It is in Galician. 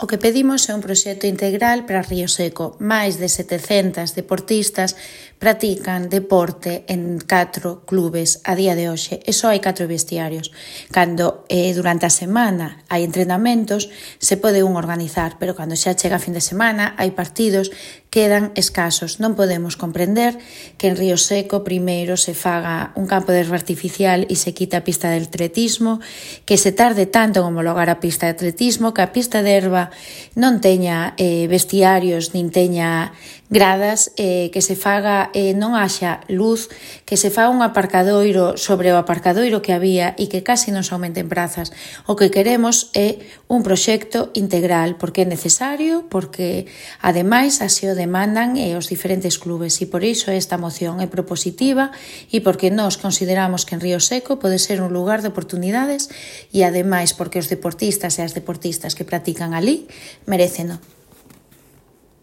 O que pedimos é un proxecto integral para Río Seco. Máis de 700 deportistas practican deporte en 4 clubes a día de hoxe e só hai 4 vestiarios. Cando durante a semana hai entrenamentos, se pode un organizar, pero cando xa chega a fin de semana hai partidos, quedan escasos. Non podemos comprender que en Río Seco primeiro se faga un campo de erva artificial e se quita a pista de atletismo, que se tarde tanto en homologar a pista de atletismo, que a pista de erva non teña vestiarios nin teña gradas, que se faga, non haxa luz, que se faga un aparcadoiro sobre o aparcadoiro que había e que casi non se aumenten prazas. O que queremos é un proxecto integral, porque é necesario, porque ademais así o demandan os diferentes clubes, e por iso esta moción é propositiva e porque nós consideramos que en Río Seco pode ser un lugar de oportunidades e ademais porque os deportistas e as deportistas que practican ali meréceno.